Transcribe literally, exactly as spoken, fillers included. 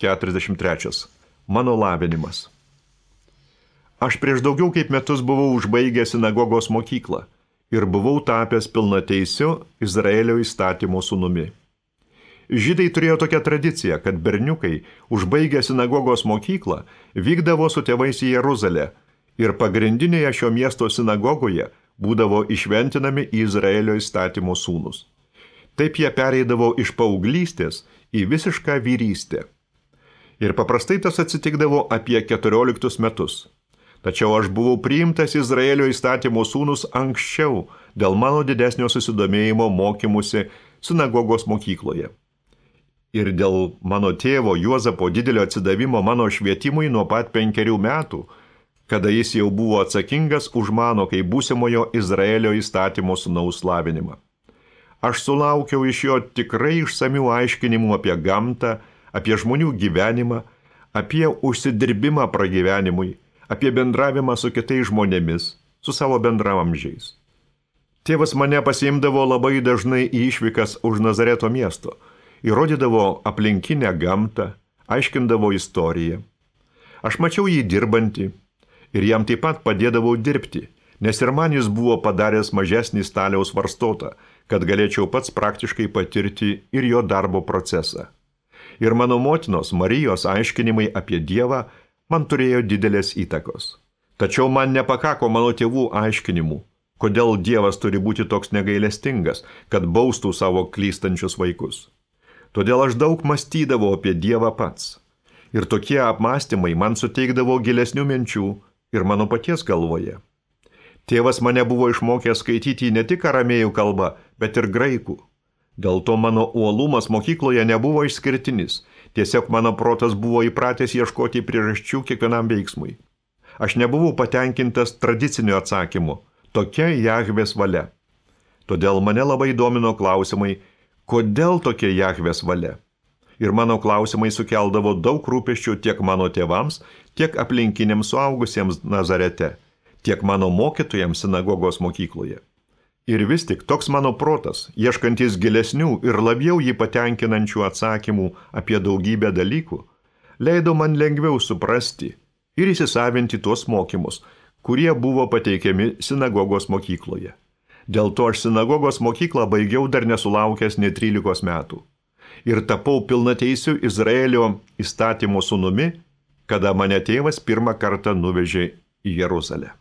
keturiasdešimt trečias. Mano lavinimas. Aš prieš daugiau kaip metus buvau užbaigęs sinagogos mokyklą ir buvau tapęs pilnateisiu Izraelio įstatymo sūnumi. Žydai turėjo tokią tradiciją, kad berniukai, užbaigę sinagogos mokyklą, vykdavo su tėvais į Jeruzalę ir pagrindinėje šio miesto sinagogoje būdavo išventinami į Izraelio įstatymo sūnus. Taip jie pereidavo iš paauglystės į visišką vyrystę. Ir paprastai tas atsitikdavo apie keturioliktus metus. Tačiau aš buvau priimtas Izraelio įstatymo sūnus anksčiau dėl mano didesnio susidomėjimo mokymusi sinagogos mokykloje. Ir dėl mano tėvo Juozapo didelio atsidavimo mano švietimui nuo pat penkerių metų, kada jis jau buvo atsakingas už mano kaip būsimojo Izraelio įstatymo sūnaus lavinimą. Aš sulaukiau iš jo tikrai išsamių aiškinimų apie gamtą, apie žmonių gyvenimą, apie užsidirbimą pragyvenimui, apie bendravimą su kitais žmonėmis, su savo bendramamžiais. Tėvas mane pasiimdavo labai dažnai į išvykas už Nazareto miesto, įrodydavo aplinkinę gamtą, aiškindavo istoriją. Aš mačiau jį dirbantį ir jam taip pat padėdavau dirbti, nes ir man jis buvo padaręs mažesnį staliaus varstotą, kad galėčiau pats praktiškai patirti ir jo darbo procesą. Ir mano motinos Marijos aiškinimai apie Dievą man turėjo didelės įtakos. Tačiau man nepakako mano tėvų aiškinimų, kodėl Dievas turi būti toks negailestingas, kad baustų savo klystančius vaikus. Todėl aš daug mąstydavau apie Dievą pats. Ir tokie apmąstymai man suteikdavo gilesnių minčių ir mano paties galvoje. Tėvas mane buvo išmokęs skaityti ne tik aramėjų kalbą, bet ir graikų. Dėl to mano uolumas mokykloje nebuvo išskirtinis. Tiesiog mano protas buvo įpratęs ieškoti priežasčių kiekvienam veiksmui. Aš nebuvau patenkintas tradiciniu atsakymu. Tokia Jahvės valia. Todėl mane labai domino klausimai, kodėl tokia Jahvės valia. Ir mano klausimai sukeldavo daug rūpesčių tiek mano tėvams, tiek aplinkiniams suaugusiems Nazarete, tiek mano mokytojams sinagogos mokykloje. Ir vis tik toks mano protas, ieškantis gilesnių ir labiau jį patenkinančių atsakymų apie daugybę dalykų, leido man lengviau suprasti ir įsisavinti tuos mokymus, kurie buvo pateikiami sinagogos mokykloje. Dėl to aš sinagogos mokyklą baigiau dar nesulaukęs net trylikos metų. Ir tapau pilnateisiu Izraelio įstatymo sūnumi, kada mane tėvas pirmą kartą nuvežė į Jeruzalę.